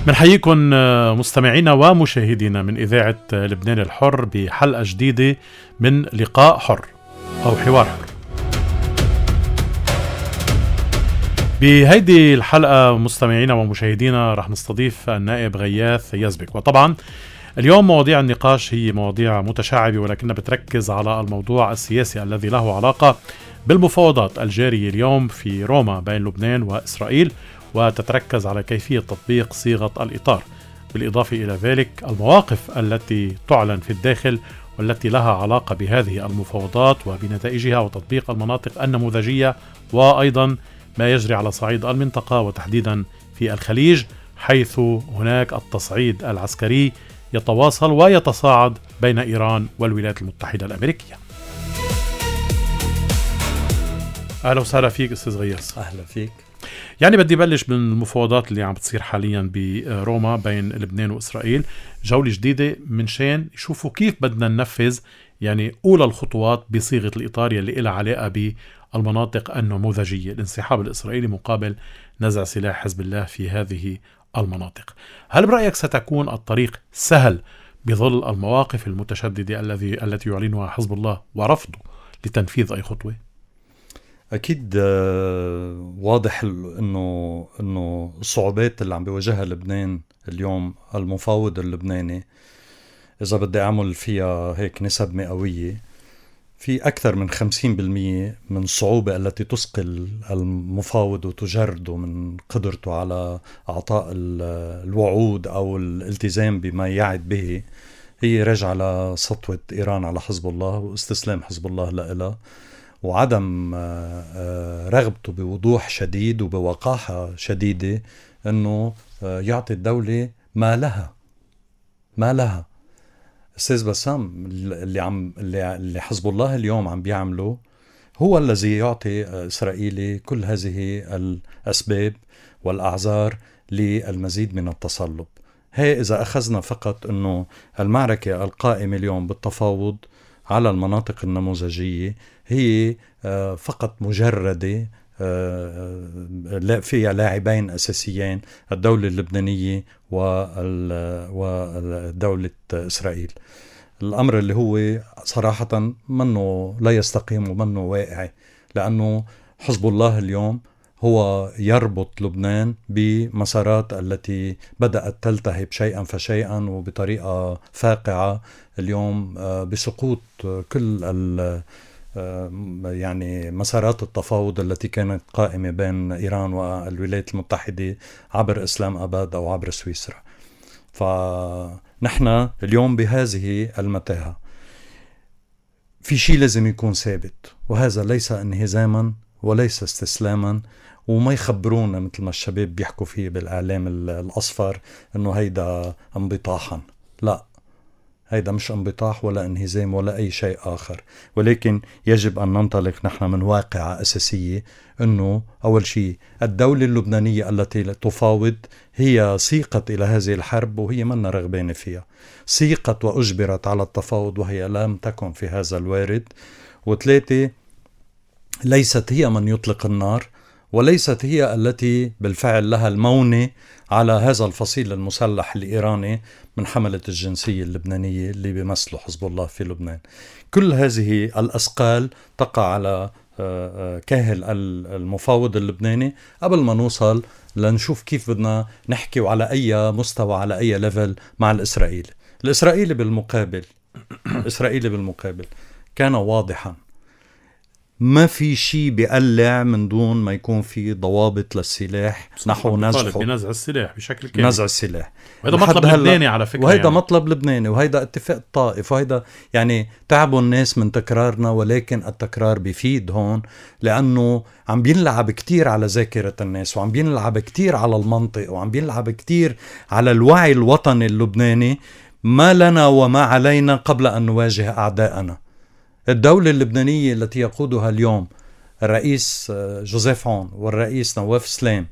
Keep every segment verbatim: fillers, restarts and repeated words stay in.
بنحييكم مستمعينا ومشاهدينا من إذاعة لبنان الحر بحلقة جديدة من لقاء حر أو حوار حر. بهيدي الحلقة مستمعينا ومشاهدينا رح نستضيف النائب غياث يزبك، وطبعا اليوم مواضيع النقاش هي مواضيع متشعبة ولكنها بتركز على الموضوع السياسي الذي له علاقة بالمفاوضات الجارية اليوم في روما بين لبنان وإسرائيل، وتتركز على كيفية تطبيق صيغة الإطار، بالإضافة إلى ذلك المواقف التي تعلن في الداخل والتي لها علاقة بهذه المفاوضات وبنتائجها وتطبيق المناطق النموذجية، وأيضا ما يجري على صعيد المنطقة وتحديدا في الخليج، حيث هناك التصعيد العسكري يتواصل ويتصاعد بين إيران والولايات المتحدة الأمريكية. أهلا وسهلا فيك أستاذ غياث. أهلا فيك. يعني بدي بلش بالمفاوضات اللي عم بتصير حاليا بروما بين لبنان وإسرائيل، جولة جديدة من شان يشوفوا كيف بدنا ننفذ يعني أولى الخطوات بصيغة الإطار يلي إلها علاقة بالمناطق النموذجية، الانسحاب الإسرائيلي مقابل نزع سلاح حزب الله في هذه المناطق. هل برأيك ستكون الطريق سهل بظل المواقف المتشددة الذي التي يعلنها حزب الله ورفضه لتنفيذ أي خطوة؟ أكيد واضح إنه إنه الصعوبات اللي عم بيواجهها لبنان اليوم، المفاوض اللبناني إذا بدي أعمل فيها هيك نسب مئوية، في أكثر من خمسين بالمية من الصعوبة التي تثقل المفاوض وتجرده من قدرته على إعطاء الوعود أو الالتزام بما يعد به، هي راجعة لسطوة إيران على حزب الله واستسلام حزب الله لها، وعدم رغبته بوضوح شديد وبوقاحة شديدة أنه يعطي الدولة ما لها ما لها. أستاذ بسام، اللي عم اللي حزب الله اليوم عم بيعمله هو الذي يعطي إسرائيل كل هذه الأسباب والأعذار للمزيد من التصلب. هي إذا أخذنا فقط أنه المعركة القائمة اليوم بالتفاوض على المناطق النموذجية هي فقط مجردة فيها لاعبين أساسيين، الدولة اللبنانية والدولة إسرائيل. الأمر اللي هو صراحة منه لا يستقيم ومنه واقعي، لأنه حزب الله اليوم هو يربط لبنان بمسارات التي بدأت تلتهب شيئا فشيئا وبطريقة فاقعة اليوم بسقوط كل ال يعني مسارات التفاوض التي كانت قائمة بين إيران والولايات المتحدة عبر إسلام أباد أو عبر سويسرا. فنحن اليوم بهذه المتاهة في شيء لازم يكون ثابت، وهذا ليس انهزاما وليس استسلاما، وما يخبرونا مثل ما الشباب بيحكوا فيه بالإعلام الأصفر إنه هيدا انبطاحا. لا، هيدا مش انبطاح ولا انهزام ولا أي شيء آخر، ولكن يجب أن ننطلق نحن من واقعة أساسية، أنه أول شيء الدولة اللبنانية التي تفاوض هي سيقت إلى هذه الحرب وهي منا رغبانة فيها، سيقت وأجبرت على التفاوض وهي لم تكن في هذا الوارد. وثلاثة، ليست هي من يطلق النار، وليست هي التي بالفعل لها المونة على هذا الفصيل المسلح الإيراني من حملة الجنسية اللبنانية اللي بيمثلوا حزب الله في لبنان. كل هذه الأثقال تقع على كاهل المفاوض اللبناني قبل ما نوصل لنشوف كيف بدنا نحكي وعلى أي مستوى على أي ليفل مع الإسرائيلي. الإسرائيلي بالمقابل الإسرائيلي بالمقابل كان واضحا، ما في شيء بيقلع من دون ما يكون في ضوابط للسلاح نحو نزعه بنزع السلاح بشكل كامل، نزع السلاح. وهذا مطلب لبناني على فكرة، وهذا يعني. مطلب لبناني، وهذا اتفاق طائف، وهذا يعني تعبوا الناس من تكرارنا، ولكن التكرار بيفيد هون، لأنه عم بينلعب كتير على ذاكرة الناس، وعم بينلعب كتير على المنطق، وعم بينلعب كتير على الوعي الوطني اللبناني. ما لنا وما علينا قبل أن نواجه أعداءنا. الدولة اللبنانية التي يقودها اليوم الرئيس جوزيف عون والرئيس نواف سلام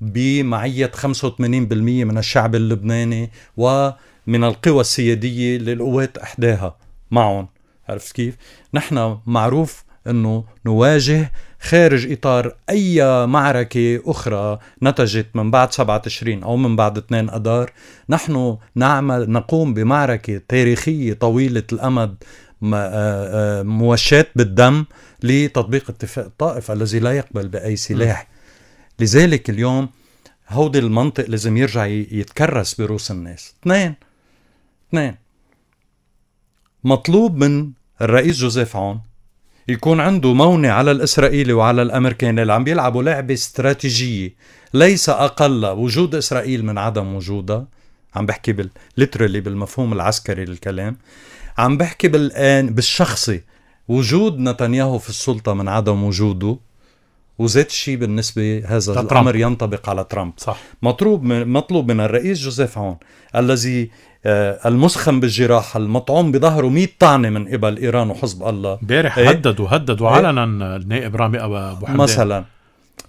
بمعية خمسة وثمانين بالمئة من الشعب اللبناني ومن القوى السيادية للقوات إحداها معهم. عرفت كيف؟ نحن معروف أنه نواجه خارج إطار أي معركة أخرى نتجت من بعد سبعة تشرين أو من بعد اثنين أدار. نحن نعمل نقوم بمعركة تاريخية طويلة الأمد موشاة بالدم لتطبيق اتفاق الطائف الذي لا يقبل بأي سلاح. م. لذلك اليوم هودي المنطق لازم يرجع يتكرس بروس الناس. اثنين اثنين مطلوب من الرئيس جوزيف عون يكون عنده مونة على الإسرائيلي وعلى الأمريكاني اللي عم بيلعبوا لعبة استراتيجية ليس أقل وجود إسرائيل من عدم وجودها. عم بحكي بالليترالي بالمفهوم العسكري للكلام. عم بحكي بالآن بالشخصي وجود نتنياهو في السلطة من عدم وجوده. وزيت الشيء بالنسبة هذا الأمر ينطبق على ترامب. صح. مطلوب من, مطلوب من الرئيس جوزيف عون الذي آه المسخن بالجراحة المطعوم بظهره مئة طعنة من قبل إيران وحزب الله. بارح ايه؟ هددوا هددوا ايه؟ علنا النائب رامي أبو حمدان مثلا.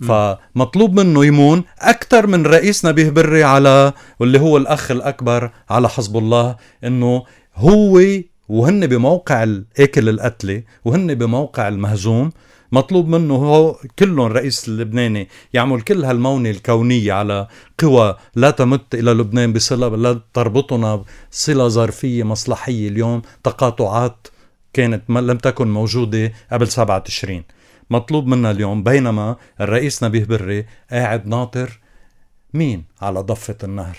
فمطلوب منه يمون أكثر من رئيس نبيه بري على واللي هو الأخ الأكبر على حزب الله، إنه هو وهن بموقع الأكل القتلة وهن بموقع المهزوم. مطلوب منه هو كلهم الرئيس اللبناني يعمل كل هالمونة الكونية على قوى لا تمت إلى لبنان بصلة لا تربطنا صلة ظرفية مصلحية. اليوم تقاطعات كانت لم تكن موجودة قبل سبعة تشرين. مطلوب منا اليوم بينما الرئيس نبيه بري قاعد ناطر مين على ضفة النهر.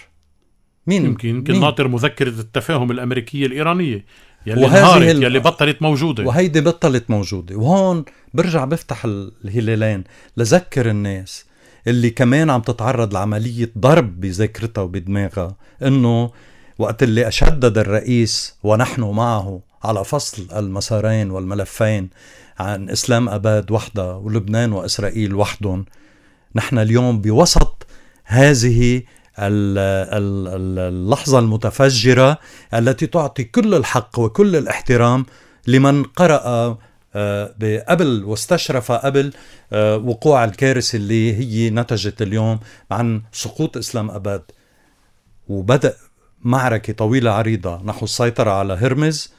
مين يمكن يمكن ناطر مذكرة التفاهم الأمريكية الإيرانية يلي انهارت ال... يلي بطلت موجودة وهيدي بطلت موجودة. وهون برجع بفتح الهلالين لذكر الناس اللي كمان عم تتعرض لعملية ضرب بذاكرتها وبدماغها انه وقت اللي اشدد الرئيس ونحن معه على فصل المسارين والملفين عن اسلام اباد وحدة ولبنان واسرائيل وحدهم، نحن اليوم بوسط هذه اللحظة المتفجرة التي تعطي كل الحق وكل الاحترام لمن قرأ قبل واستشرف قبل وقوع الكارثة اللي هي نتجت اليوم عن سقوط إسلام أباد. وبدأ معركة طويلة عريضة نحو السيطرة على هرمز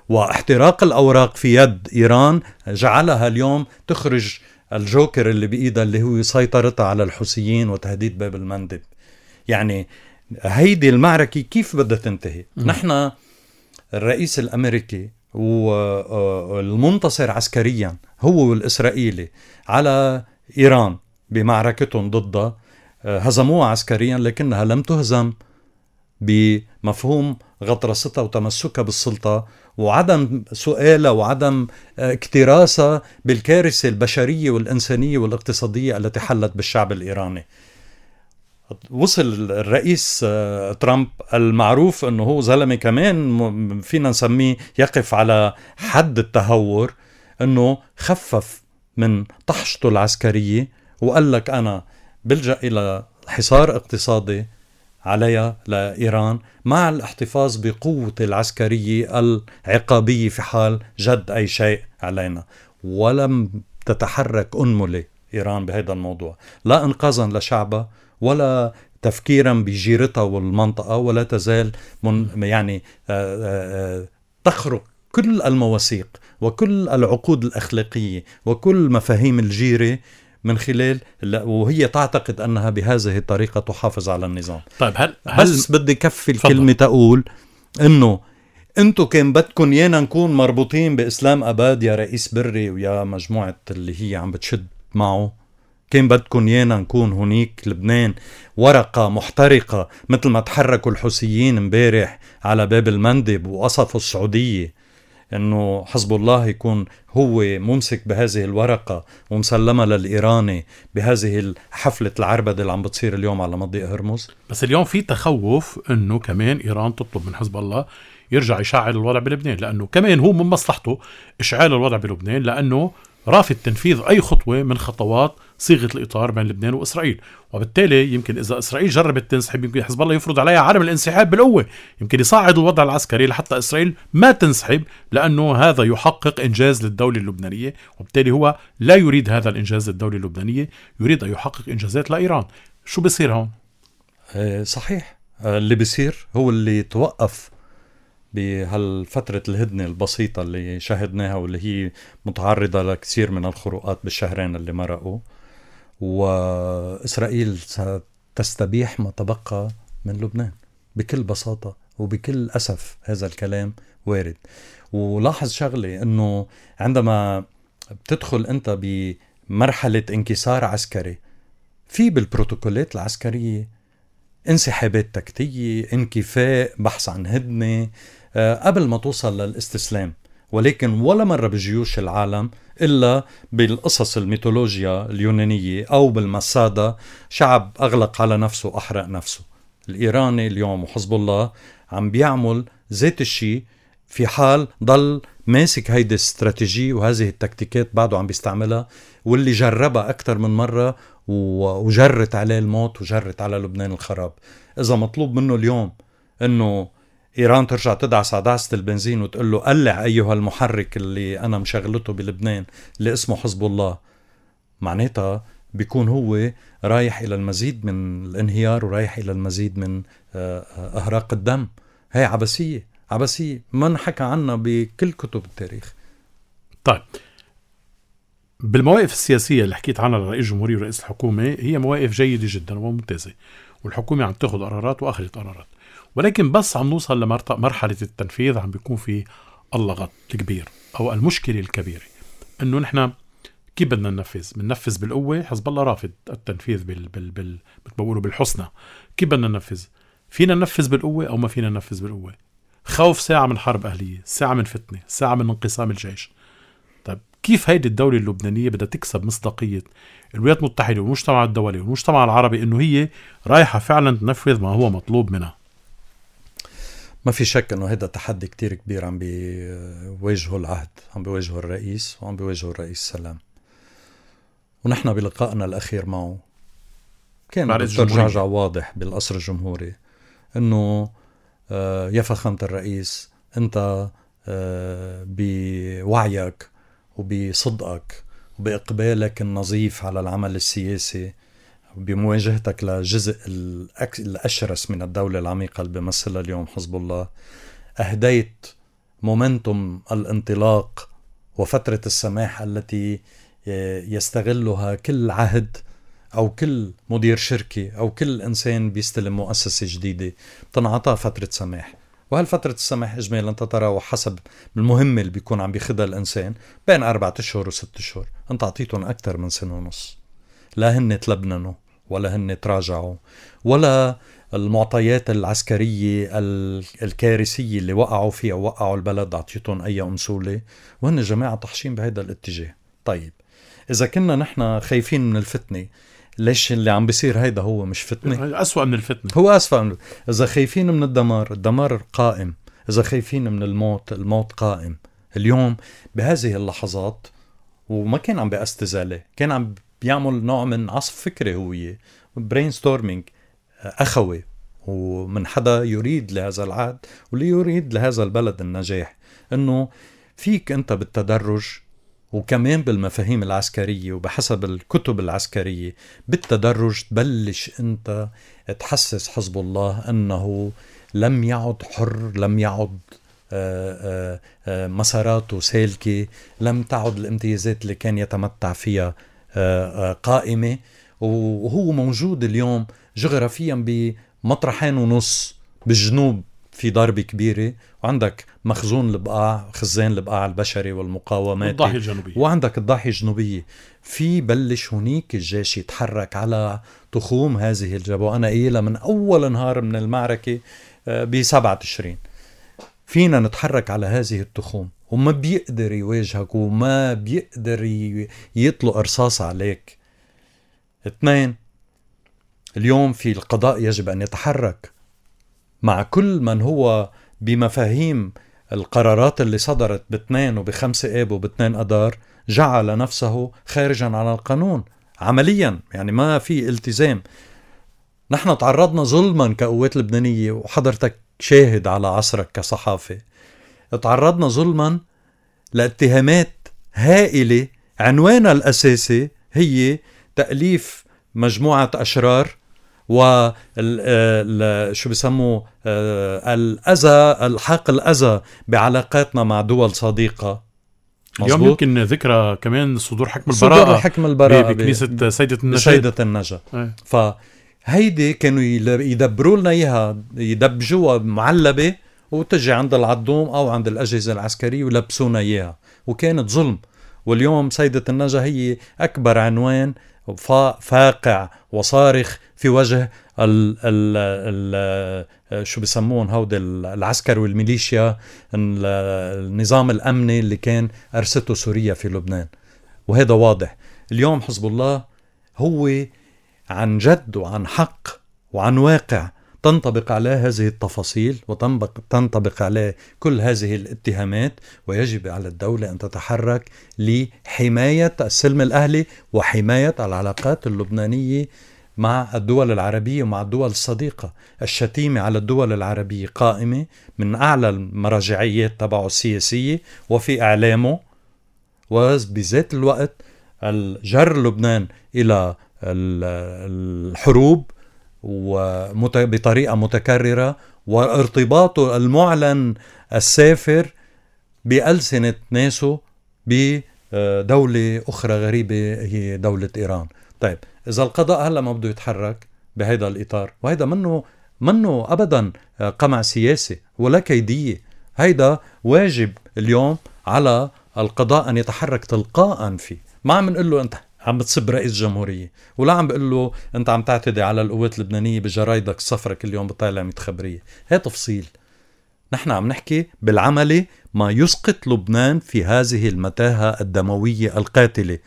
واحتراق الأوراق في يد إيران جعلها اليوم تخرج الجوكر اللي بإيدها اللي هو سيطرتها على الحوثيين وتهديد باب المندب. يعني هيدي المعركة كيف بدها تنتهي؟ م. نحن الرئيس الأمريكي والمنتصر عسكريا هو والإسرائيلي على إيران بمعركتهم ضدها هزموها عسكريا لكنها لم تهزم بمفهوم غطرستها وتمسكها بالسلطة وعدم سؤالها وعدم اكتراسها بالكارثة البشرية والإنسانية والاقتصادية التي حلت بالشعب الإيراني. وصل الرئيس ترامب المعروف أنه هو زلمة كمان فينا نسميه يقف على حد التهور، أنه خفف من طحشته العسكرية وقال لك أنا بلجأ إلى حصار اقتصادي عليها لإيران مع الاحتفاظ بقوة العسكرية العقابية في حال جد أي شيء علينا. ولم تتحرك أنملة إيران بهذا الموضوع، لا إنقاذا لشعبها ولا تفكيرا بجيرتها والمنطقة، ولا تزال من يعني تخرق كل المواثيق وكل العقود الأخلاقية وكل مفاهيم الجيرة من خلال وهي تعتقد أنها بهذه الطريقة تحافظ على النظام. طيب هل, هل بس بدي كفي الكلمة تقول إنه أنتوا كان بدكن يانا نكون مربوطين بإسلام أباد يا رئيس بري ويا مجموعة اللي هي عم بتشد معه، كان بدكن يانا نكون هنيك لبنان ورقة محترقة مثل ما تحركوا الحوثيين امبارح على باب المندب وقصفوا السعودية، انه حزب الله يكون هو ممسك بهذه الورقة ومسلمة للإيراني بهذه حفلة العربدة اللي عم بتصير اليوم على مضيق هرمز. بس اليوم في تخوف انه كمان إيران تطلب من حزب الله يرجع يشعل الوضع بلبنان، لانه كمان هو من مصلحته اشعال الوضع بلبنان، لانه رافض تنفيذ أي خطوة من خطوات صيغة الإطار بين لبنان وإسرائيل. وبالتالي يمكن إذا إسرائيل جربت تنسحب يمكن حزب الله يفرض عليها عدم الانسحاب بالقوة، يمكن يصعد الوضع العسكري لحتى إسرائيل ما تنسحب، لأنه هذا يحقق إنجاز للدولة اللبنانية، وبالتالي هو لا يريد هذا الإنجاز للدولة اللبنانية، يريد أن يحقق إنجازات لإيران. شو بيصير هون؟ صحيح اللي بيصير هو اللي توقف بهالفترة الهدنة البسيطة اللي شاهدناها واللي هي متعرضة لكثير من الخروقات بالشهرين اللي مرقوا، وإسرائيل ستستبيح ما تبقى من لبنان بكل بساطة وبكل أسف. هذا الكلام وارد. ولاحظ شغلة، أنه عندما بتدخل أنت بمرحلة انكسار عسكري، في بالبروتوكولات العسكرية انسحابات تكتيكية، انكفاء، بحث عن هدنة قبل ما توصل للاستسلام. ولكن ولا مرة بجيوش العالم إلا بالقصص الميثولوجيا اليونانية أو بالمسادة شعب أغلق على نفسه وأحرق نفسه. الإيراني اليوم وحزب الله عم بيعمل ذات الشيء في حال ضل ماسك هيدي الاستراتيجية وهذه التكتيكات بعده عم بيستعملها، واللي جربها أكتر من مرة وجرت عليه الموت وجرت على لبنان الخراب. إذا مطلوب منه اليوم أنه إيران ترجع تدعس عداسة البنزين وتقول له قلع أيها المحرك اللي أنا مشغلته بلبنان اللي اسمه حزب الله، معناتها بيكون هو رايح إلى المزيد من الانهيار ورايح إلى المزيد من أهراق الدم. هاي عبثية عبثية ما نحكى عنها بكل كتب التاريخ. طيب، بالمواقف السياسية اللي حكيت عنها لرئيس الجمهورية ورئيس الحكومة، هي مواقف جيدة جدا وممتازة، والحكومة عم تاخد قرارات وأخذت قرارات، ولكن بس عم نوصل لمرحلة التنفيذ عم بيكون في اللغط الكبير أو المشكلة الكبيرة، إنه نحن كيف بدنا ننفذ؟ بننفذ بالقوة؟ حزب الله رافض التنفيذ بال بال بال بتقولوا بالحسنى. كيف بدنا ننفذ؟ فينا ننفذ بالقوة أو ما فينا ننفذ بالقوة؟ خوف ساعة من حرب أهلية، ساعة من فتنة، ساعة من انقسام الجيش. طيب كيف هيدي الدولة اللبنانية بدها تكسب مصداقية الولايات المتحدة والمجتمع الدولي والمجتمع العربي إنه هي رايحة فعلا تنفذ ما هو مطلوب منها؟ ما في شك انه هذا تحدي كتير كبير عم بيواجهه العهد، عم بيواجهه الرئيس وعم بيواجهه الرئيس سلام. ونحن بلقائنا الاخير معه كان دكتور جعجع واضح بالقصر الجمهوري انه آه يا فخامة الرئيس، انت آه بوعيك وبصدقك وبإقبالك النظيف على العمل السياسي بمواجهتك لجزء الأشرس من الدولة العميقة اللي بيمثلها اليوم حزب الله، أهديت مومنتوم الانطلاق وفترة السماح التي يستغلها كل عهد أو كل مدير شركة أو كل إنسان بيستلم مؤسسة جديدة تنعطى فترة سماح. وهالفترة السماح إجمالا تتراوح حسب المهمة اللي بيكون عم بيخدها الإنسان بين أربعة أشهر وست أشهر. أنت عطيتهم أكتر من سنة ونص، لا هن تلبننوا ولا هن تراجعوا ولا المعطيات العسكرية الكارثية اللي وقعوا فيها وقعوا البلد عطيتهم أي أمثولة، وهن جماعة طحشين بهذا الاتجاه. طيب إذا كنا نحن خايفين من الفتنة، ليش اللي عم بيصير هيدا هو مش فتنة؟ أسوأ من الفتنة. هو أسوأ من... إذا خايفين من الدمار، الدمار قائم. إذا خايفين من الموت، الموت قائم. اليوم بهذه اللحظات، وما كان عم بأستزالة، كان عم بيعمل نوع من عصف فكري هوية برين ستورمينج أخوي، ومن حدا يريد لهذا العهد واللي يريد لهذا البلد النجاح، إنه فيك أنت بالتدرج وكمان بالمفاهيم العسكرية وبحسب الكتب العسكرية بالتدرج تبلش أنت تحسس حزب الله أنه لم يعد حر، لم يعد آآ آآ مساراته سالكة، لم تعد الامتيازات اللي كان يتمتع فيها قائمة. وهو موجود اليوم جغرافيا بمطرحين ونص، بالجنوب في ضربة كبيرة، وعندك مخزون البقاع، خزان البقاع البشري والمقاومات، والضاحية الجنوبية، وعندك الضاحية الجنوبية. في بلش هنيك الجيش يتحرك على تخوم هذه الجبهة. أنا قايلها من أول نهار من المعركة بسبعة تشرين، فينا نتحرك على هذه التخوم، وما بيقدر يواجهك وما بيقدر يطلق رصاص عليك. اثنين، اليوم في القضاء يجب أن يتحرك مع كل من هو بمفاهيم القرارات اللي صدرت باثنين وبخمسة آب وباثنين أدار جعل نفسه خارجا عن القانون عمليا، يعني ما في التزام. نحن تعرضنا ظلما كقوات لبنانية، وحضرتك شاهد على عصرك كصحافة، تعرضنا ظلما لاتهامات هائلة عنوانها الأساسي هي تأليف مجموعة أشرار وال شو بيسموه الأذى الحاق الأذى بعلاقاتنا مع دول صديقة. اليوم يمكن ذكرى كمان صدور حكم البراءة صدور حكم البراءة بكنيسة سيدة النجاة سيدة النجاة. فهيدي كانوا يدبروا لنا إياها، يدبجوها معلبة وتجي عند العدوم أو عند الأجهزة العسكرية ويلبسونا إياها، وكانت ظلم. واليوم سيدة النجاة هي أكبر عنوان فاقع وصارخ في وجه ال ال ال شو بيسمون هود العسكر والميليشيا، النظام الأمني اللي كان أرسته سوريا في لبنان. وهذا واضح اليوم حزب الله هو عن جد وعن حق وعن واقع تنطبق عليه هذه التفاصيل وتنطبق عليه كل هذه الاتهامات، ويجب على الدولة أن تتحرك لحماية السلم الأهلي وحماية العلاقات اللبنانية مع الدول العربية ومع الدول الصديقة. الشتيمة على الدول العربية قائمة من أعلى المراجعيات تبعه السياسية وفي إعلامه، وبذات الوقت الجر لبنان إلى الحروب وبطريقة متكررة، وارتباطه المعلن السافر بألسنة ناسه بدولة أخرى غريبة هي دولة إيران. طيب إذا القضاء هلأ ما بده يتحرك بهذا الإطار، وهذا منه منه أبدا قمع سياسي ولا كيدية، هيدا واجب اليوم على القضاء أن يتحرك تلقاء فيه. ما عم نقول له أنت عم بتصب رئيس جمهورية، ولا عم بقول له أنت عم تعتدي على القوات اللبنانية بجرايدك الصفرة كل يوم بطالع مية خبرية. هي تفصيل. نحن عم نحكي بالعملي ما يسقط لبنان في هذه المتاهة الدموية القاتلة.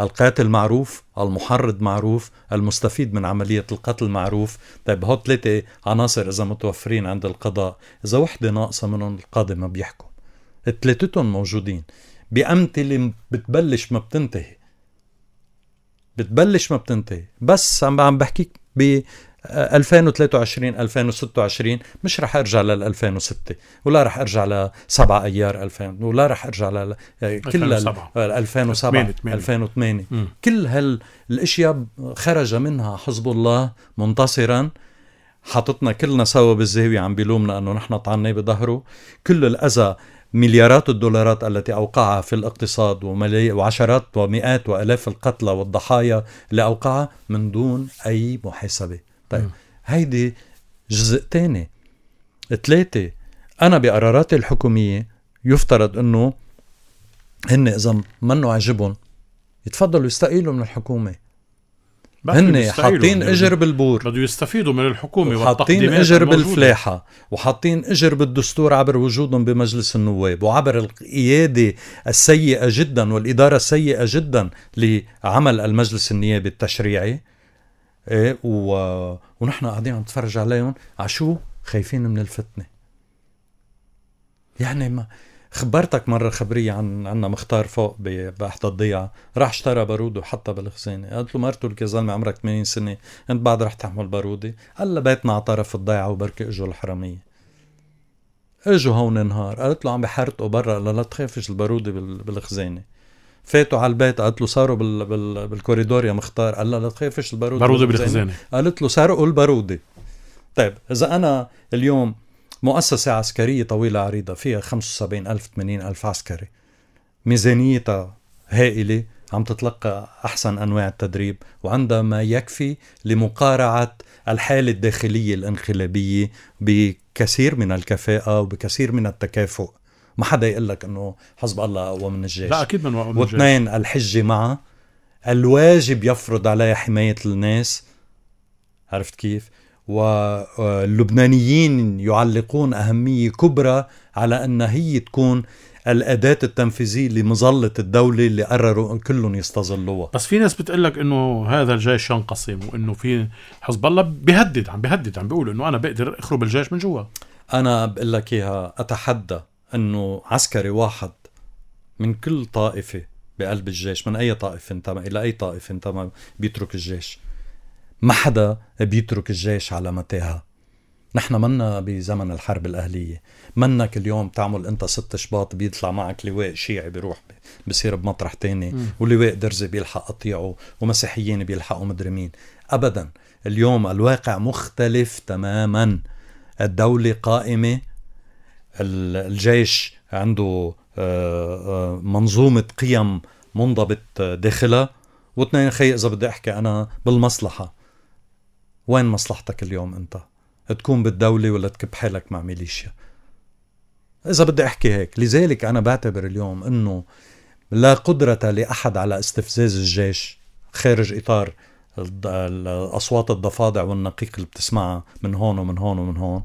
القاتل معروف، المحرض معروف، المستفيد من عملية القتل معروف. طيب هو ثلاثة عناصر إذا متوفرين عند القضاء، إذا وحدة ناقصة منهم القاضي ما بيحكم. الثلاثتهم موجودين بأمثلة بتبلش ما بتنتهي، بتبلش ما بتنتهي. بس عم عم بحكيك ب ألفين وثلاثة وعشرين ألفين وستة وعشرين، مش رح ارجع لل ألفين وستة، ولا رح ارجع لسبعة ايار ألفين، ولا رح ارجع ل كل ألفين وسبعة ألفين وثمانية. كل هالاشياء خرج منها حزب الله منتصرا، حاطتنا كلنا سوا بالزاوية عم بيلومنا انه نحن طعناه بظهره. كل الاذى، مليارات الدولارات التي أوقعها في الاقتصاد، وعشرات ومئات وألاف القتلى والضحايا اللي أوقعها من دون أي محاسبة. طيب هيدي جزء تاني. ثلاثة، أنا بقراراتي الحكومية يفترض أنه هن إذا منه عجبهم يتفضلوا يستقيلوا من الحكومة. هن حاطين اجر بالبور، بدو يستفيدوا من الحكومة، وحاطين اجر بالفلاحة، وحاطين اجر بالدستور عبر وجودهم بمجلس النواب، وعبر القيادة السيئة جدا والإدارة السيئة جدا لعمل المجلس النيابي التشريعي. إيه و... ونحن قاعدين عم نتفرج عليهم عشو خايفين من الفتنة. يعني ما خبرتك مرة خبرية عن عنا مختار فوق بأحد الضيعة، راح اشترى بارود وحطها بالخزانة. قالت له مرته لك يا زلمة عمرك ثمانين سنة، انت بعد رح تحمل بارودة؟ قال له بيتنا على طرف الضيعة وبركي اجوا الحرامية. اجوا هون نهار، قالت له عم بحرقوا برا، قال لا تخافش البارودة بالخزانة. فاتوا على البيت، قالت له صاروا بال... بال... بالكوريدور يا مختار، قال لا لا تخافش البارودة بارودة بالخزانة. قالت له سرقوا البارودة. طيب إذا أنا اليوم مؤسسة عسكرية طويلة عريضة فيها خمسة وسبعين ألف ثمانين ألف عسكري، ميزانيتها هائلة، عم تتلقى أحسن أنواع التدريب، وعندها ما يكفي لمقارعة الحالة الداخلية الانقلابية بكثير من الكفاءة وبكثير من التكافؤ. ما حدا يقول لك إنه حزب الله أقوى من الجيش. لا أكيد من الجيش. واثنين، الحجة معه، الواجب يفرض عليها حماية الناس. عرفت كيف؟ واللبنانيين يعلقون أهمية كبرى على أن هي تكون الأداة التنفيذية لمظلة الدولة اللي قرروا كلهم يستظلوها. بس في ناس بتقلك إنه هذا الجيش ينقسم، وإنه في حزب الله بيهدد، عم بيهدد، عم بيقول إنه أنا بقدر أخرب الجيش من جوا. أنا بقول لك إياها، أتحدى إنه عسكري واحد من كل طائفة بقلب الجيش، من أي طائفة انتمى إلى أي طائفة انتمى، بيترك الجيش. ما حدا بيترك الجيش على متاهة. نحن منا بزمن الحرب الأهلية، منك اليوم تعمل انت ست شباط بيطلع معك لواء شيعي بيروح بيصير بمطرح تاني، ولواء درزي بيلحق قطيعه، ومسيحيين بيلحقوا مدري مين. أبدا. اليوم الواقع مختلف تماما. الدولة قائمة، الجيش عنده منظومة قيم منضبط داخلها. واثنين خي إذا بدي أحكي أنا بالمصلحة، وين مصلحتك اليوم أنت؟ تكون بالدولة ولا تكب حالك مع ميليشيا؟ إذا بدي أحكي هيك. لذلك أنا بعتبر اليوم أنه لا قدرة لأحد على استفزاز الجيش خارج إطار الأصوات الضفادع والنقيق اللي بتسمعها من هون ومن هون ومن هون.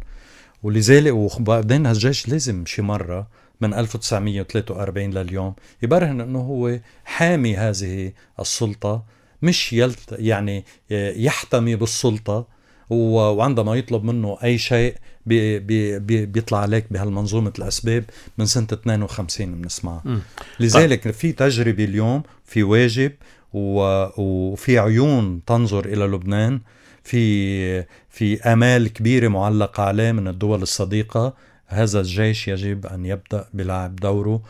ولذلك وبعدين هالجيش لازم شي مرة من ألف وتسعمية وثلاثة وأربعين لليوم يبرهن أنه هو حامي هذه السلطة، مش يلت يعني يحتمي بالسلطة. وعندما يطلب منه أي شيء بي بي بي بيطلع عليك بهالمنظومة الأسباب من سنة اثنين وخمسين بنسمعها. لذلك في تجربة اليوم، في واجب وفي عيون تنظر إلى لبنان، في في آمال كبيرة معلقة عليه من الدول الصديقة. هذا الجيش يجب أن يبدأ بلعب دوره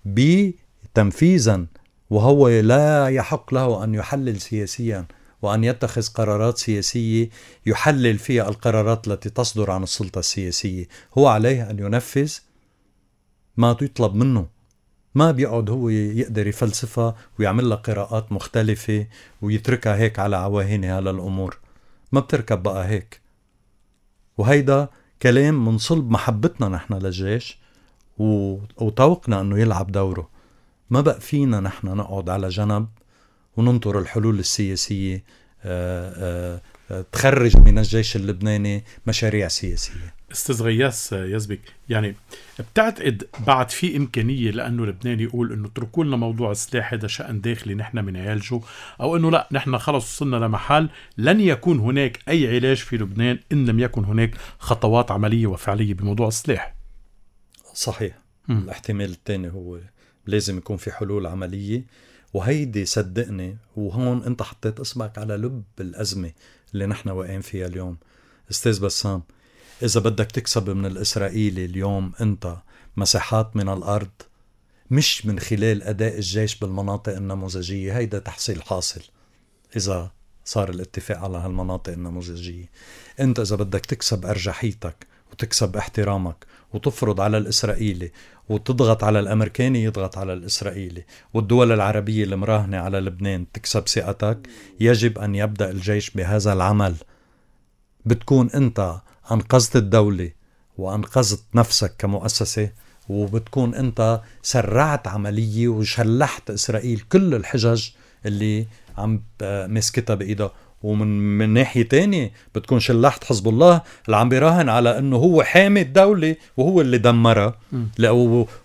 بتنفيذا، وهو لا يحق له أن يحلل سياسيا وأن يتخذ قرارات سياسية يحلل فيها القرارات التي تصدر عن السلطة السياسية. هو عليه أن ينفذ ما يطلب منه، ما بيقعد هو يقدر يفلسفها ويعمل لها قراءات مختلفة ويتركها هيك على عواهنها للأمور. ما بتركب بقى هيك. وهيدا كلام من صلب محبتنا نحن للجيش وتوقنا أنه يلعب دوره. ما بقى فينا نحن نقعد على جنب وننطر الحلول السياسية آآ آآ تخرج من الجيش اللبناني مشاريع سياسية. استاذ غياث يزبك، يعني بتعتقد بعد في إمكانية لأنه لبنان يقول إنه تركوا لنا موضوع السلاح هذا شأن داخلي نحن من عالجه، أو إنه لا نحن خلص وصلنا لمحل لن يكون هناك أي علاج في لبنان إن لم يكن هناك خطوات عملية وفعلية بموضوع السلاح؟ صحيح. م. الاحتمال الثاني هو لازم يكون في حلول عملية، وهيدي صدقني وهون انت حطيت اسمك على لب الأزمة اللي نحن واقعين فيها اليوم. استاذ بسام، إذا بدك تكسب من الإسرائيلي اليوم أنت مساحات من الأرض مش من خلال أداء الجيش بالمناطق النموذجية، هيدا تحصيل حاصل إذا صار الاتفاق على هالمناطق النموذجية. أنت إذا بدك تكسب أرجحيتك وتكسب احترامك وتفرض على الإسرائيلي وتضغط على الأمريكاني يضغط على الإسرائيلي والدول العربية المراهنة على لبنان تكسب ثقتك، يجب أن يبدأ الجيش بهذا العمل. بتكون أنت أنقذت الدولة وأنقذت نفسك كمؤسسة، وبتكون أنت سرعت عملية وشلحت إسرائيل كل الحجج اللي عم مسكتها بإيدها. ومن من ناحية تانية بتكون شلحت حزب الله اللي عم بيراهن على أنه هو حامي الدولة وهو اللي دمرها،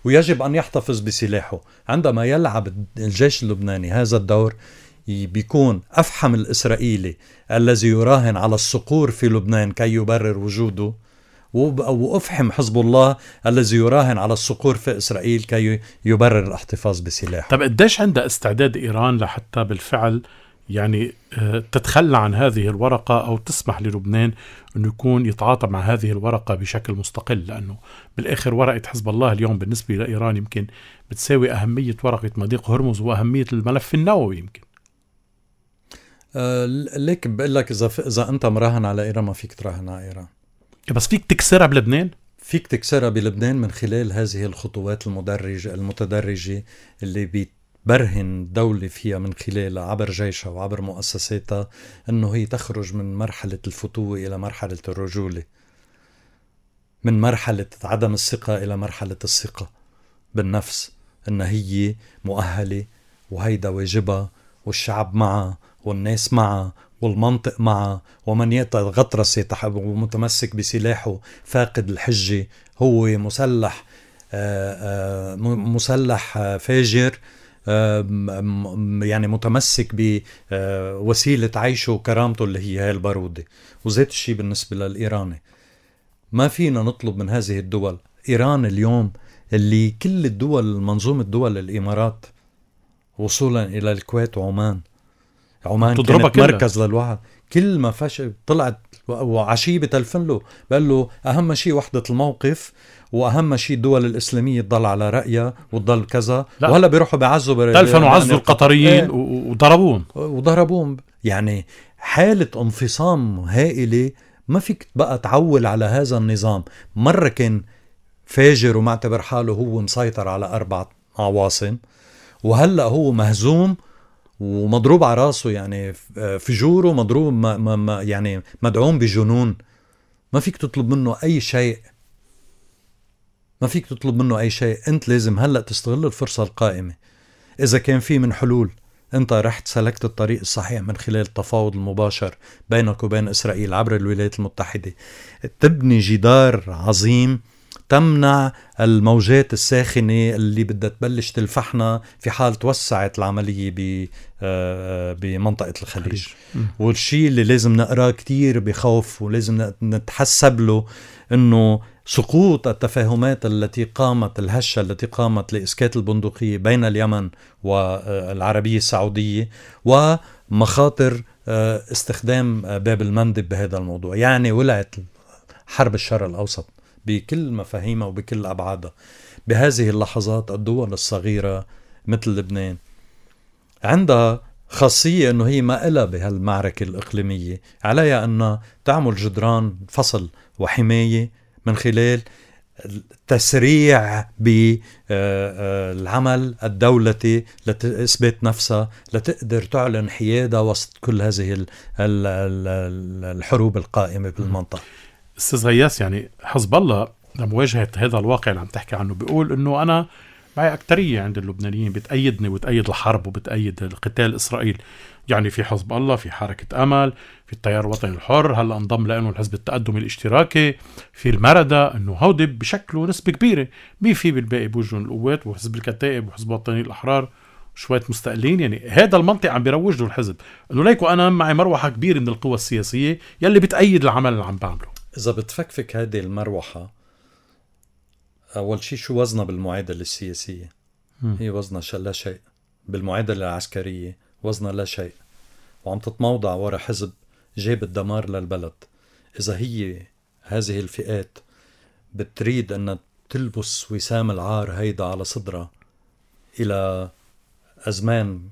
ويجب أن يحتفظ بسلاحه. عندما يلعب الجيش اللبناني هذا الدور بيكون أفحم الإسرائيلي الذي يراهن على الصقور في لبنان كي يبرر وجوده، وأفحم حزب الله الذي يراهن على الصقور في إسرائيل كي يبرر الاحتفاظ بسلاحه. طب قديش عندها استعداد إيران لحتى بالفعل يعني تتخلى عن هذه الورقة أو تسمح للبنان أنه يكون يتعاطى مع هذه الورقة بشكل مستقل؟ لأنه بالآخر ورقة حزب الله اليوم بالنسبة لإيران يمكن بتساوي أهمية ورقة مضيق هرمز وأهمية الملف النووي يمكن. أه ليك بقول لك إذا إذا أنت مراهن على إيران ما فيك تراهن على إيران، بس فيك تكسرها بلبنان. فيك تكسرها بلبنان من خلال هذه الخطوات المدرجة المتدرجة اللي بتبرهن دولة فيها من خلال عبر جيشها وعبر مؤسساتها أنه هي تخرج من مرحلة الفتوة إلى مرحلة الرجولة، من مرحلة عدم الثقة إلى مرحلة الثقة بالنفس، أن هي مؤهلة وهيدا واجبها والشعب معها والناس معها والمنطق معه، ومن يتغطرس يتحب ومتمسك بسلاحه فاقد الحجة هو مسلح آآ آآ مسلح فاجر يعني متمسك بوسيلة عيشه وكرامته اللي هي هاي البارودة. وزيت الشيء بالنسبة للإيراني، ما فينا نطلب من هذه الدول. إيران اليوم اللي كل الدول منظومة دول الإمارات وصولا إلى الكويت وعمان، عمان كانت مركز للوعد، كل ما فش طلعت وعشية بتلفن له بقال له أهم شيء وحدة الموقف، وأهم شيء الدول الإسلامية تضل على رأيها وتضل كذا. وهلا بيروحوا بعزوا تلفن وعزوا القطريين وضربوهم وضربوهم يعني حالة انفصام هائلة، ما فيك بقى تعول على هذا النظام. مرة كان فاجر ومعتبر حاله هو مسيطر على أربع عواصم، وهلأ هو مهزوم ومضروب على راسه، يعني فجوره مضروب ما ما ما يعني مدعوم بجنون. ما فيك تطلب منه أي شيء، ما فيك تطلب منه أي شيء. أنت لازم هلأ تستغل الفرصة القائمة. إذا كان في من حلول، أنت رحت سلكت الطريق الصحيح من خلال التفاوض المباشر بينك وبين إسرائيل عبر الولايات المتحدة، تبني جدار عظيم تمنع الموجات الساخنة اللي بدها تبلش تلفحنا في حال توسعت العملية بمنطقة الخليج. والشيء اللي لازم نقراه كتير بخوف ولازم نتحسب له، إنه سقوط التفاهمات التي قامت الهشة التي قامت لإسكات البندقية بين اليمن والعربية السعودية، ومخاطر استخدام باب المندب بهذا الموضوع. يعني ولعت حرب الشرق الأوسط بكل مفاهيمها وبكل أبعادها. بهذه اللحظات الدول الصغيرة مثل لبنان عندها خاصية أنه هي ما إلا بهالمعركة الإقليمية، عليها أن تعمل جدران فصل وحماية من خلال تسريع بالعمل الدولتي لتثبت نفسها، لتقدر تعلن حيادة وسط كل هذه الحروب القائمة بالمنطقة. أستاذ غياث، يعني حزب الله لمواجهة هذا الواقع اللي عم تحكي عنه بيقول إنه أنا معي أكترية عند اللبنانيين بتأيدني وبتأيد الحرب وبتأيد القتال إسرائيل. يعني في حزب الله، في حركة أمل، في التيار الوطني الحر، هلا انضم لأنه الحزب التقدم الاشتراكي، في المردة، إنه هودي بشكله نسبة كبيرة. مين في بالباقي بوجهن القوات وحزب الكتائب وحزب الوطني الأحرار شوية مستقلين. يعني هذا المنطق عم بيروج له الحزب، إنه ليكو أنا معي مروحة كبيرة من القوى السياسية يلي بتأيد العمل اللي عم بعمله. إذا بتفكفك هذه المروحة، أول شيء شو وزنها بالمعادلة السياسية؟ م. هي وزنها لا شيء. بالمعادلة العسكرية وزنها لا شيء، وعم تتموضع وراء حزب جاب الدمار للبلد. إذا هي هذه الفئات بتريد أن تلبس وسام العار هيدا على صدرها إلى أزمان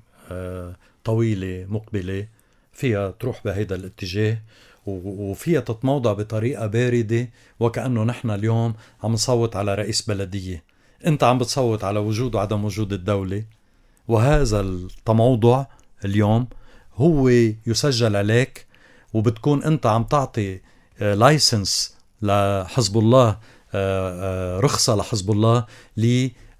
طويلة مقبلة، فيها تروح بهيدا الاتجاه، وفيها تتموضع بطريقة باردة، وكأنه نحن اليوم عم نصوت على رئيس بلدية. انت عم بتصوت على وجود وعدم وجود الدولة، وهذا التموضع اليوم هو يسجل عليك، وبتكون انت عم تعطي لايسنس لحزب الله، رخصة لحزب الله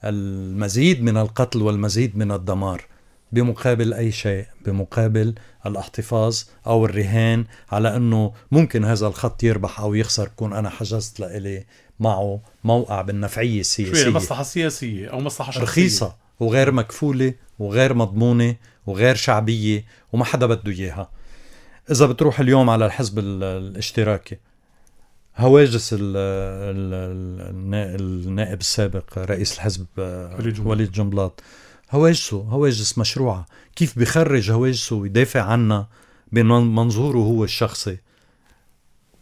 للمزيد من القتل والمزيد من الدمار، بمقابل أي شيء، بمقابل الاحتفاظ أو الرهان على أنه ممكن هذا الخط يربح أو يخسر، كون أنا حجزت لإلي معه موقع بالنفعية السياسية، مصلحة سياسية أو مصلحة شخصية رخيصة وغير مكفولة وغير مضمونة وغير شعبية وما حدا بده إياها. إذا بتروح اليوم على الحزب الاشتراكي، هواجس النائب السابق رئيس الحزب وليد جنبلاط، هواجسه هواجس مشروعة. كيف بيخرج هواجسه ويدافع عنها بمنظوره هو الشخصي؟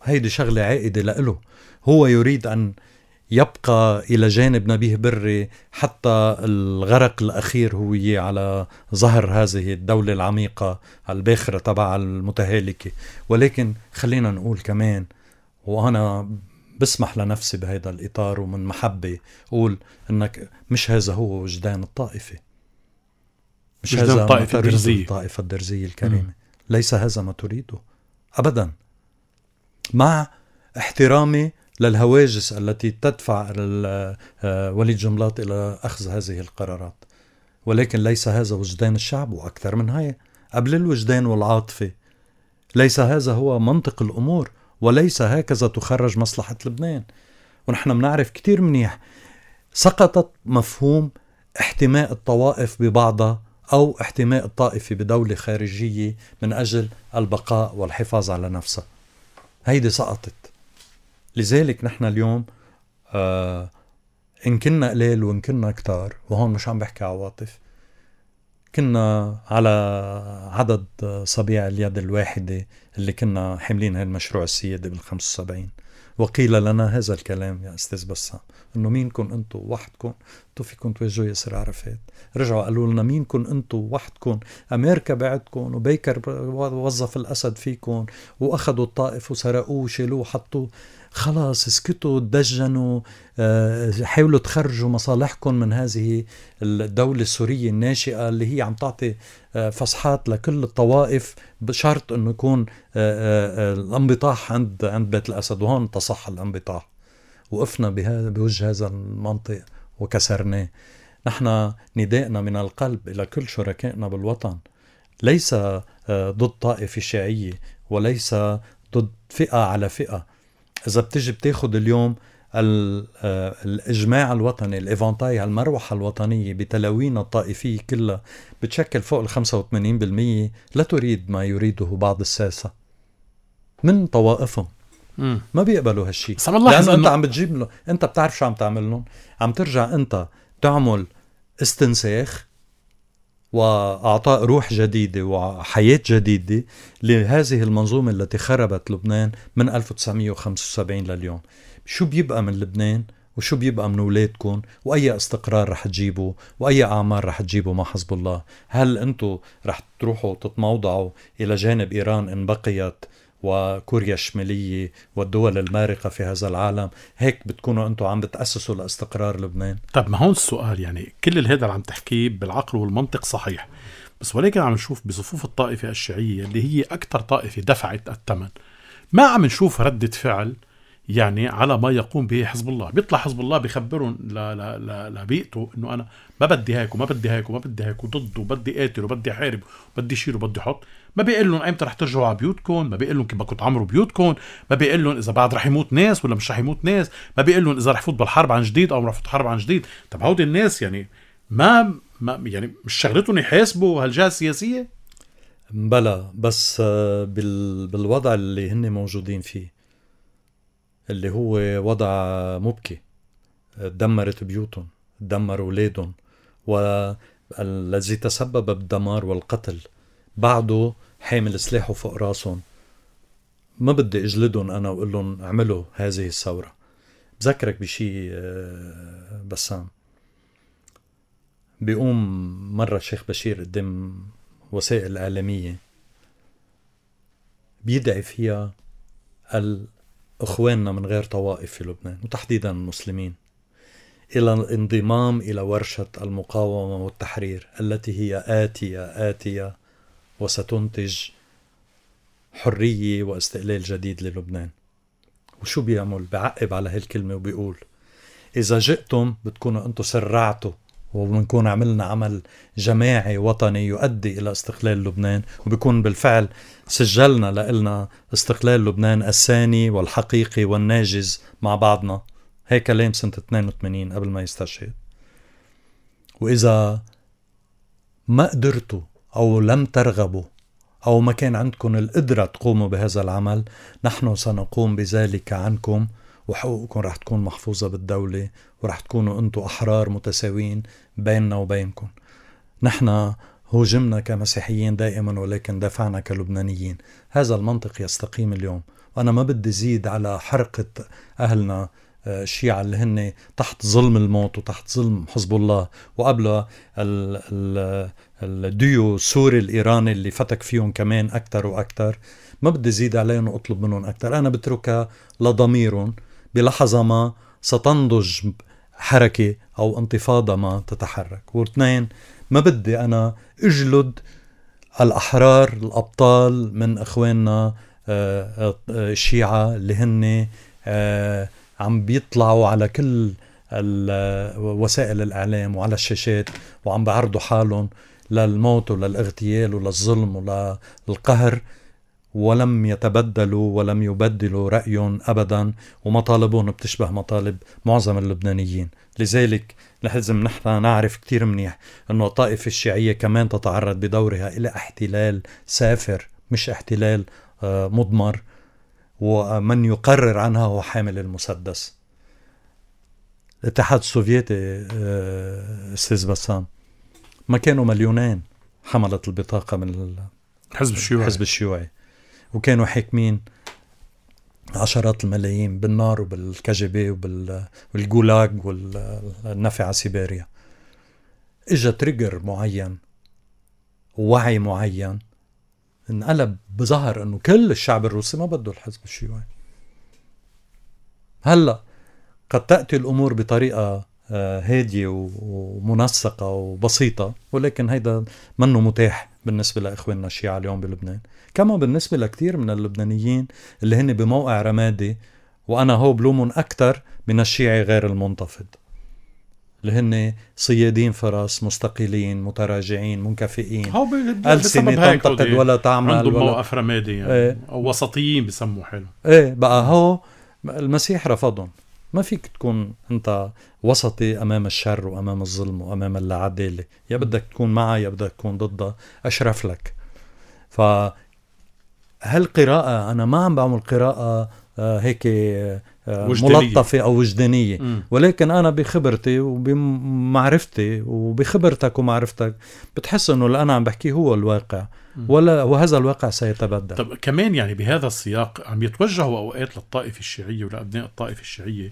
هيدي شغلة عائدة لإله. هو يريد أن يبقى إلى جانب نبيه بري حتى الغرق الأخير هو على ظهر هذه الدولة العميقة الباخرة تبع المتهالكة. ولكن خلينا نقول كمان، وأنا بسمح لنفسي بهذا الإطار ومن محبة أقول أنك مش هذا هو وجدان الطائفة، مش هذا ما تريد الطائفة الدرزية الكريمة. م. ليس هذا ما تريده أبدا، مع احترامي للهواجس التي تدفع وليد جنبلاط إلى أخذ هذه القرارات. ولكن ليس هذا وجدان الشعب، وأكثر من هاي قبل الوجدان والعاطفة. ليس هذا هو منطق الأمور، وليس هكذا تخرج مصلحة لبنان. ونحن بنعرف كتير منيح سقطت مفهوم احتماء الطوائف ببعضها أو احتماء الطائفة بدولة خارجية من أجل البقاء والحفاظ على نفسها. هيدي سقطت. لذلك نحن اليوم آه إن كنا قليل وإن كنا كتار، وهون مش عم بحكي عواطف، كنا على عدد صبيع اليد الواحدة اللي كنا حاملين هالمشروع السيادي بالخمس وسبعين، وقيل لنا هذا الكلام يا أستاذ بسام، إنه مينكم أنتوا وحدكم كنتوا فيكم توجهوا ياسر عرفات. رجعوا قالوا لنا مينكن انتوا وحدكم، أمريكا بعدكم وبيكر وظف الأسد فيكم وأخذوا الطائف وسرقوه وشيلوه وحطوه. خلاص اسكتوا، تدجنوا، حاولوا تخرجوا مصالحكم من هذه الدولة السورية الناشئة اللي هي عم تعطي فصحات لكل الطوائف بشرط انه يكون الانبطاح عند عند بيت الأسد. وهون تصح الانبطاح، وقفنا بهذا بوجه هذا المنطق وكسرناه. نحن نداءنا من القلب إلى كل شركائنا بالوطن ليس ضد طائفة شيعية وليس ضد فئة على فئة. إذا بتجي بتاخد اليوم الإجماع الوطني، الإيفانتاي، المروحة الوطنية بتلاوين الطائفية كلها بتشكل فوق الخمسة وثمانين بالمية لا تريد ما يريده بعض الساسة من طوائفهم. مم. ما بيقبلوا هالشي، لأنه أنت عم بتجيب له، أنت بتعرف شو عم تعمل لهم، عم ترجع أنت تعمل استنساخ وأعطاء روح جديدة وحياة جديدة لهذه المنظومة التي خربت لبنان من ألف وتسعمية وخمسة وسبعين لليوم. شو بيبقى من لبنان وشو بيبقى من أولادكم وأي استقرار رح تجيبوا وأي أعمار رح تجيبوا مع حزب الله؟ هل أنتوا رح تروحوا تتموضعوا إلى جانب إيران إن بقيت وكوريا الشمالية والدول المارقة في هذا العالم؟ هيك بتكونوا أنتوا عم بتأسسوا لاستقرار لبنان؟ طب ما هون السؤال، يعني كل هذا اللي عم تحكيه بالعقل والمنطق صحيح، بس ولكن عم نشوف بصفوف الطائفة الشيعية اللي هي أكثر طائفة دفعت الثمن، ما عم نشوف ردة فعل يعني على ما يقوم به حزب الله. بيطلع حزب الله بيخبرون لبيئته انه انا ما بدي هيك وما بدي هيك وما بدي هيك وضد وبدي قاتل وبدي حارب وبدي شيل وبدي حط. ما بيقول لهم ايمتى رح ترجعوا على بيوتكم، ما بيقول لهم كيف بدكم تعمروا بيوتكم، ما بيقول لهم اذا بعد رح يموت ناس ولا مش رح يموت ناس، ما بيقول لهم اذا رح يفوت بالحرب عن جديد او رح يفوت حرب عن جديد. طب هودي الناس يعني ما, ما يعني مش شغلتهم يحاسبوا هالجهة السياسية؟ بلا، بس بال بالوضع اللي هن موجودين فيه اللي هو وضع مبكي، دمرت بيوتهم، دمر أولادهم، والذي تسبب بالدمار والقتل بعده حامل سلاحه فوق راسهم. ما بدي اجلدهم أنا وقول لهم اعملوا هذه الثورة. بذكرك بشي بسام، بيقوم مرة الشيخ بشير قدام وسائل إعلامية بيدعي فيها الأخواننا من غير طوائف في لبنان وتحديدا المسلمين إلى الانضمام إلى ورشة المقاومة والتحرير التي هي آتية آتية وستنتج حرية واستقلال جديد للبنان. وشو بيعمل؟ بعقب على هالكلمة وبيقول إذا جئتم بتكونوا أنتوا سرعتوا وبنكون عملنا عمل جماعي وطني يؤدي إلى استقلال لبنان، وبيكون بالفعل سجلنا لإلنا استقلال لبنان الثاني والحقيقي والناجز مع بعضنا. هيك كلام سنة اثنين وثمانين قبل ما يستشهد. وإذا ما قدرتوا أو لم ترغبوا أو ما كان عندكم القدرة تقوموا بهذا العمل، نحن سنقوم بذلك عنكم، وحقوقكم رح تكون محفوظة بالدولة، ورح تكونوا أنتوا أحرار متساوين بيننا وبينكم. نحن هوجمنا كمسيحيين دائما ولكن دافعنا كلبنانيين. هذا المنطق يستقيم اليوم، وأنا ما بدي زيد على حرقة أهلنا الشيعة اللي هن تحت ظلم الموت وتحت ظلم حزب الله، وقبل الديو السوري الإيراني اللي فتك فيهم كمان أكتر وأكتر. ما بدي زيد عليهم وأطلب منهم أكتر. أنا بتركها لضميرهم بلحظة ما ستنضج حركة أو انتفاضة ما تتحرك. واثنين، ما بدي أنا أجلد الأحرار الأبطال من أخواننا الشيعة اللي هن عم بيطلعوا على كل وسائل الإعلام وعلى الشاشات وعم بعرضوا حالهم للموت وللاغتيال وللظلم وللقهر، ولم يتبدلوا ولم يبدلوا رأيهم أبدا، ومطالبهم بتشبه مطالب معظم اللبنانيين. لذلك لازم نحن نعرف كتير منيح أنه الطائفة الشيعية كمان تتعرض بدورها إلى احتلال سافر مش احتلال مضمر، ومن يقرر عنها هو حامل المسدس. الاتحاد السوفيتي أستاذ بسام ما كانوا مليونين حملت البطاقة من الحزب الشيوعي, الحزب الشيوعي وكانوا حاكمين عشرات الملايين بالنار وبالكجبة وبالجولاج والنفع سيبيريا. إجا تريجر معين ووعي معين انقلب بظهر انه كل الشعب الروسي ما بده الحزب الشيوعي. هلأ قد تأتي الأمور بطريقة هادية ومنسقة وبسيطة، ولكن هيدا منه متاح بالنسبة لإخواننا الشيعة اليوم بلبنان، كما بالنسبة لكتير من اللبنانيين اللي هن بموقع رمادي، وأنا هو بلومن أكتر من الشيعي غير المنتفض اللي هن صيادين فرس مستقلين متراجعين منكفئين، ألسنة تنتقد ولا تعمل، عندهم موقف رمادي يعني. ايه. أو وسطيين بسموا حلو. ايه بقى هو المسيح رفضهم. ما فيك تكون أنت وسطي أمام الشر وأمام الظلم وأمام العدالة، يا بدك تكون معها يا بدك تكون ضدها، أشرف لك. فهالقراءة أنا ما عم بعمل قراءة آه هيك آه ملطفة أو وجدانية، م. ولكن أنا بخبرتي وبمعرفتي وبخبرتك ومعرفتك بتحس أنه اللي أنا عم بحكيه هو الواقع، ولا وهذا الواقع سيتبدل. طب كمان يعني بهذا السياق عم يتوجهوا أوقات للطائفة الشيعية ولأبناء الطائفة الشيعية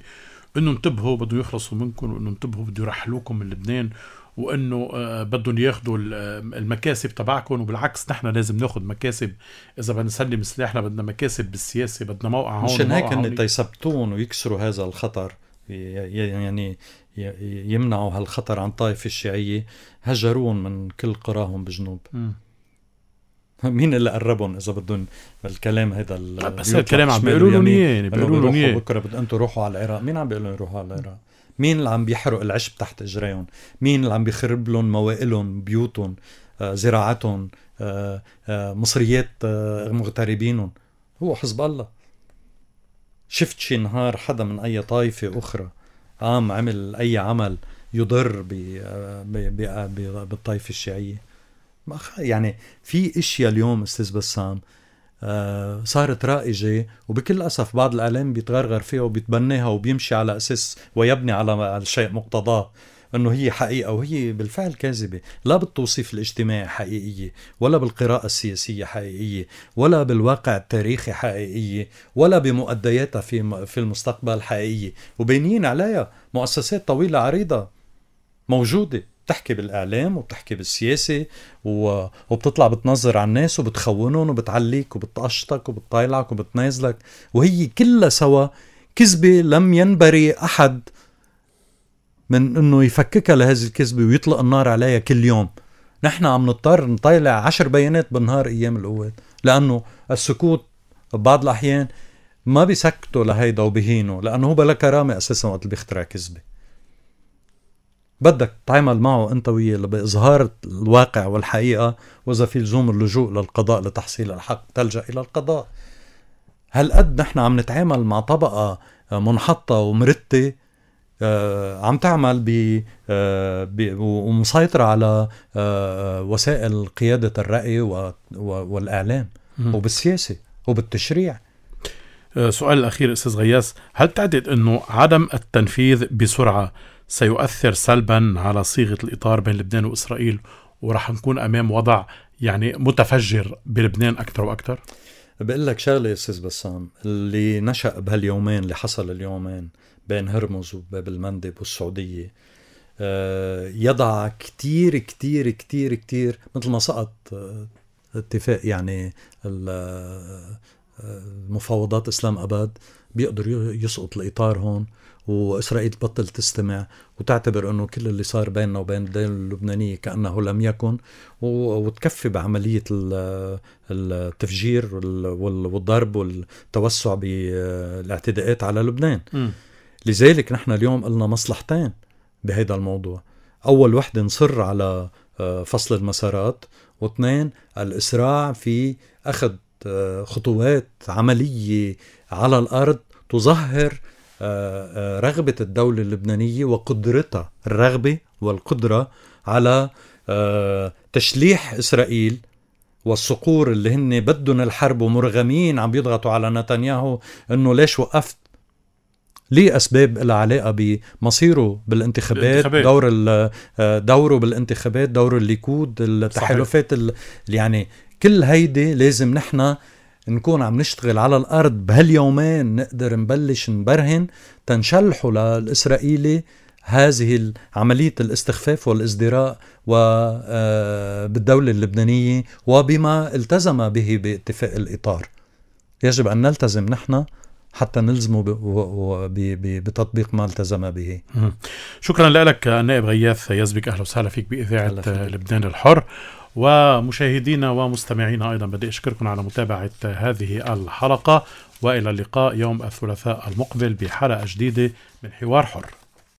إنه انتبهوا بده يخلصوا منكم، وإنه انتبهوا بده يرحلوكم من لبنان، وإنه آه بدهم ياخدوا المكاسب تبعكم، وبالعكس نحن لازم ناخد مكاسب إذا بدنا نسلم سلاحنا، بدنا مكاسب بالسياسة، بدنا موقع هون. مشان هيك إن تيثبتون ويكسروا هذا الخطر، يعني يمنعوا هالخطر عن الطائفة الشيعية، هجرون من كل قراهم بجنوب. م. مين اللي قربهم إذا بدون الكلام هذا؟ بس الكلام عم بيقولوا لهم إيه، بيقولوا لهم إيه بكرة بدأ أنتوا روحوا على العراق. مين عم بيقولوا يروحوا على العراق؟ مين اللي عم بيحرق العشب تحت إجريهم؟ مين اللي عم بيخرب لهم موائلهم، بيوتهم، آه، زراعتهم، آه، آه، مصريات آه، مغتربينهم؟ هو حزب الله. شفت شي نهار حدا من أي طائفة أخرى قام عمل أي عمل يضر بالطائفة الشيعية؟ يعني في اشياء اليوم استاذ بسام آه صارت رائجة، وبكل أسف بعض الإعلام بيتغرغر فيها وبيتبناها وبيمشي على أساس ويبني على الشيء مقتضاه أنه هي حقيقة، وهي بالفعل كاذبة. لا بالتوصيف الاجتماعي حقيقية، ولا بالقراءة السياسية حقيقية، ولا بالواقع التاريخي حقيقية، ولا بمؤدياتها في في المستقبل حقيقية. وبينين عليها مؤسسات طويلة عريضة موجودة بتحكي بالإعلام وبتحكي بالسياسة وبتطلع بتنظر على الناس وبتخونهم وبتعليك وبتقشطك وبتطايلك وبتنازلك، وهي كلها سوا كذبة لم ينبري أحد من أنه يفككها لهذه الكذبة ويطلق النار عليها كل يوم. نحن عم نضطر نطيلع عشر بيانات بالنهار أيام القوات، لأنه السكوت بعض الأحيان ما بيسكتوا لهيدا وبهينوا، لأنه هو بلا كرامة أساسا وقت اللي بيخترع كذبة. بدك تعمل معه أنت وياه بإظهار الواقع والحقيقة، وإذا في لزوم اللجوء للقضاء لتحصيل الحق تلجأ إلى القضاء. هل قد نحن عم نتعامل مع طبقة منحطة ومرتة آه عم تعمل ب آه ومسيطرة على آه وسائل قيادة الرأي والإعلام وبالسياسة وبالتشريع. سؤال الأخير أستاذ غياث، هل تعتقد أنه عدم التنفيذ بسرعة سيؤثر سلبا على صيغة الإطار بين لبنان وإسرائيل، ورح نكون أمام وضع يعني متفجر بلبنان أكثر وأكثر؟ بقول لك شغلة يا أستاذ بسام، اللي نشأ بهاليومين اللي حصل اليومين بين هرمز وباب المندب والسعودية يضع كتير كتير كتير كتير مثل ما سقط اتفاق يعني المفاوضات إسلام أباد، بيقدر يسقط الإطار هون، وإسرائيل تبطل تستمع وتعتبر أنه كل اللي صار بيننا وبين الدولة اللبنانية كأنه لم يكن، وتكفي بعملية التفجير والضرب والتوسع بالاعتداءات على لبنان. م. لذلك نحن اليوم قلنا مصلحتين بهذا الموضوع: أول وحدة نصر على فصل المسارات، واثنين الإسراع في أخذ خطوات عملية على الأرض تظهر رغبة الدولة اللبنانية وقدرتها، الرغبة والقدرة على تشليح إسرائيل والصقور اللي هن بدون الحرب ومرغمين عم بيضغطوا على نتنياهو انه ليش وقفت، ليه أسباب لها علاقة بمصيره بالانتخابات، دور دوره بالانتخابات، دور الليكود، التحالفات، يعني كل هيدي لازم نحن نكون عم نشتغل على الأرض بهاليومين، نقدر نبلش نبرهن تنشلحوا للإسرائيلي هذه عملية الاستخفاف والازدراء بالدولة اللبنانية وبما التزم به باتفاق الإطار. يجب أن نلتزم نحن حتى نلزمه بتطبيق ما التزم به. شكرا لك النائب غياث يزبك، أهلا وسهلا فيك بإذاعة لبنان الحر. ومشاهدينا ومستمعينا أيضا بدي أشكركم على متابعة هذه الحلقة، وإلى اللقاء يوم الثلاثاء المقبل بحلقة جديدة من حوار حر.